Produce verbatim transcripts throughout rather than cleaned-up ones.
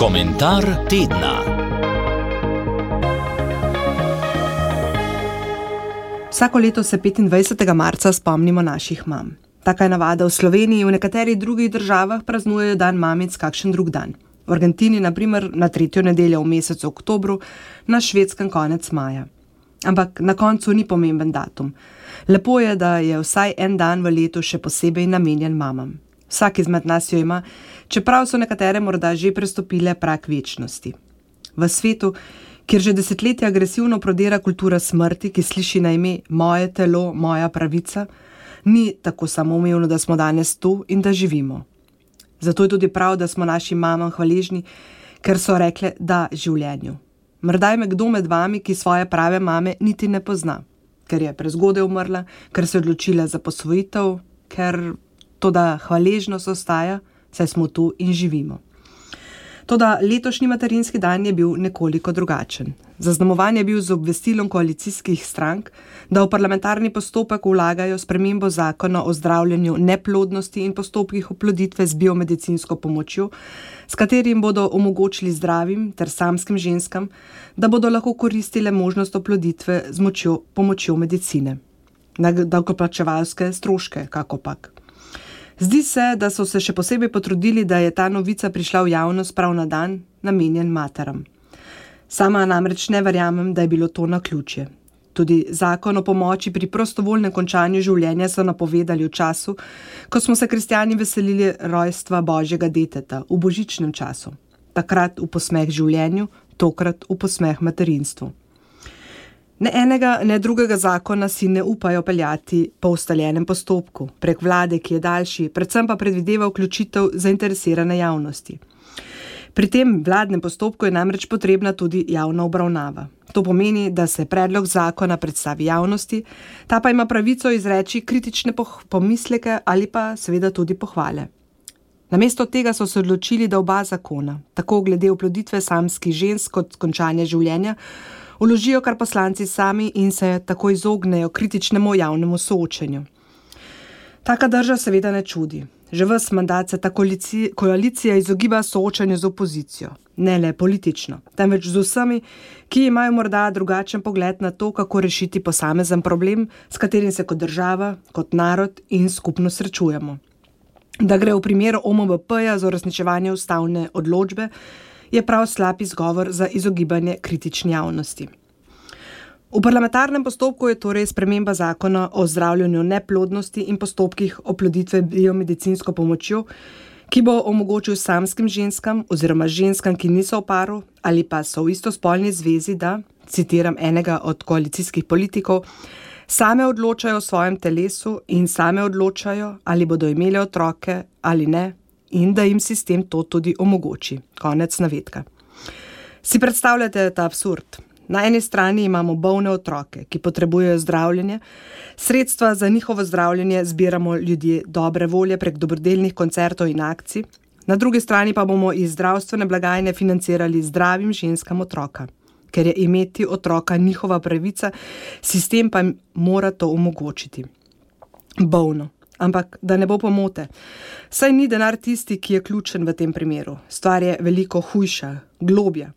Komentar tedna. Vsako leto se petindvajsetega marca spomnimo naših mam. Taka je navada v Sloveniji, v nekaterih drugih državah praznujejo dan mamic kakšen drug dan. V Argentini, na primer, na tretjo nedeljo v mesecu oktobru, na Švedskem konec maja. Ampak na koncu ni pomemben datum. Lepo je, da je vsaj en dan v letu še posebej namenjen mamam. Vsak izmed nas jo ima, čeprav so nekatere morda že prestopile prag večnosti. V svetu, kjer že desetletja agresivno prodira kultura smrti, ki sliši na ime moje telo, moja pravica, ni tako samoumevno, da smo danes tu in da živimo. Zato je tudi prav, da smo našim mamam hvaležni, ker so rekle da življenju. Morda je kdo med vami, ki svoje prave mame niti ne pozna, ker je prezgodaj umrla, ker se je odločila za posvojitev, ker toda hvaležnost ostaja, saj smo tu in živimo. Toda letošnji materinski dan je bil nekoliko drugačen. Zaznamovan je bil z obvestilom koalicijskih strank, da v parlamentarni postopek vlagajo spremembo zakona o zdravljenju neplodnosti in postopkih oploditve z biomedicinsko pomočjo, s katerim bodo omogočili zdravim ter samskim ženskam, da bodo lahko koristile možnost oploditve z močjo, pomočjo medicine. Na davkoplačevalske stroške, kakopak. Zdi se, da so se še posebej potrudili, da je ta novica prišla v javnost prav na dan, namenjen materam. Sama namreč ne verjamem, da je bilo to naključje. Tudi zakon o pomoči pri prostovoljnem končanju življenja so napovedali v času, ko smo se kristjani veselili rojstva Božjega deteta, v božičnem času. Takrat v posmeh življenju, tokrat v posmeh materinstvu. Ne enega, ne drugega zakona si ne upajo peljati po ustaljenem postopku, prek vlade, ki je daljši, predvsem pa predvideva vključitev zainteresirane javnosti. Pri tem vladnem postopku je namreč potrebna tudi javna obravnava. To pomeni, da se predlog zakona predstavi javnosti, ta pa ima pravico izreči kritične pomisleke ali pa seveda tudi pohvale. Namesto tega so se odločili, da oba zakona, tako glede oploditve samskih žensk kot končanja življenja, vložijo kar poslanci sami in se tako izognejo kritičnemu javnemu soočenju. Taka drža seveda ne čudi. Že ves mandat se ta koalicija izogiba soočanju z opozicijo. Ne le politično, temveč z vsemi, ki imajo morda drugačen pogled na to, kako rešiti posamezen problem, s katerim se kot država, kot narod in skupno srečujemo. Da gre v primeru O M V P-ja za uresničevanje ustavne odločbe, je prav slab izgovor za izogibanje kritični javnosti. V parlamentarnem postopku je torej sprememba zakona o zdravljenju neplodnosti in postopkih oploditve biomedicinsko pomočjo, ki bo omogočil samskim ženskam oziroma ženskam, ki niso v paru ali pa so v istospolni zvezi, da, citiram enega od koalicijskih politikov, same odločajo o svojem telesu in same odločajo, ali bodo imele otroke ali ne, in da jim sistem to tudi omogoči. Konec navedka. Si predstavljate ta absurd? Na eni strani imamo bolne otroke, ki potrebujejo zdravljenje, sredstva za njihovo zdravljenje zbiramo ljudje dobre volje prek dobrodelnih koncertov in akcij, na drugi strani pa bomo iz zdravstvene blagajne financirali zdravim ženskam otroka, ker je imeti otroka njihova pravica, sistem pa mora to omogočiti. Bolno. Ampak da ne bo pomote, saj ni denar tisti, ki je ključen v tem primeru. Stvar je veliko hujša, globja.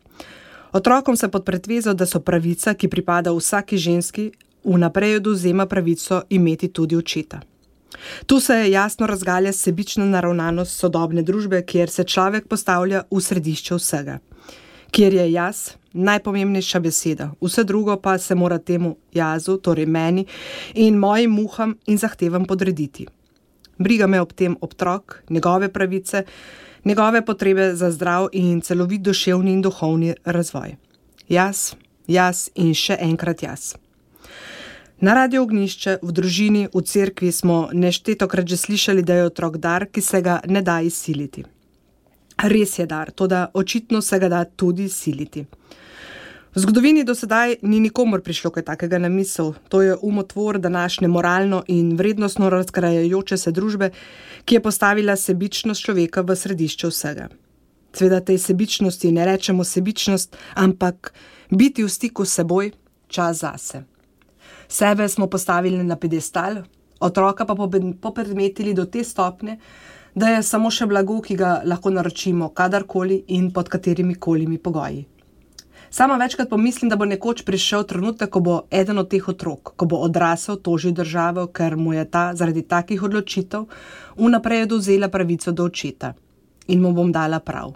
Otrokom se pod pretvezo, da so pravica, ki pripada vsaki ženski, vnaprej odvzema pravico imeti tudi očeta. Tu se jasno razgalja sebična naravnanost sodobne družbe, kjer se človek postavlja v središče vsega. Kjer je jaz najpomembnejša beseda, vse drugo pa se mora temu jazu, torej meni in mojim muham in zahtevam podrediti. Briga me ob tem otrok, njegove pravice, njegove potrebe za zdrav in celovit duševni in duhovni razvoj. Jaz, jaz in še enkrat jaz. Na Radiu Ognjišče, v družini, v cerkvi smo neštetokrat že slišali, da je otrok dar, ki se ga ne da izsiliti. Res je dar, toda očitno se ga da tudi siliti. V zgodovini do sedaj ni nikomor prišlo kaj takega na misel. To je umotvor današnje moralno in vrednostno razkrajajoče se družbe, ki je postavila sebičnost človeka v središče vsega. Seveda tej sebičnosti ne rečemo sebičnost, ampak biti v stiku s seboj, čas zase. Sebe smo postavili na piedestal, otroka pa popredmetili do te stopnje, da je samo še blago, ki ga lahko naročimo kadarkoli in pod katerimi kolimi pogoji. Sama večkrat pomislim, da bo nekoč prišel trenutek, ko bo eden od teh otrok, ko bo odrasel, tožil državo, ker mu je ta zaradi takih odločitev vnaprej odvzela pravico do očeta. In mu bom dala prav.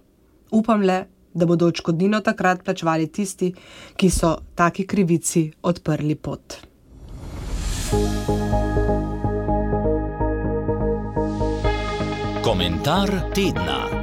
Upam le, da bodo odškodnino takrat plačevali tisti, ki so taki krivici odprli pot. Komentar tedna.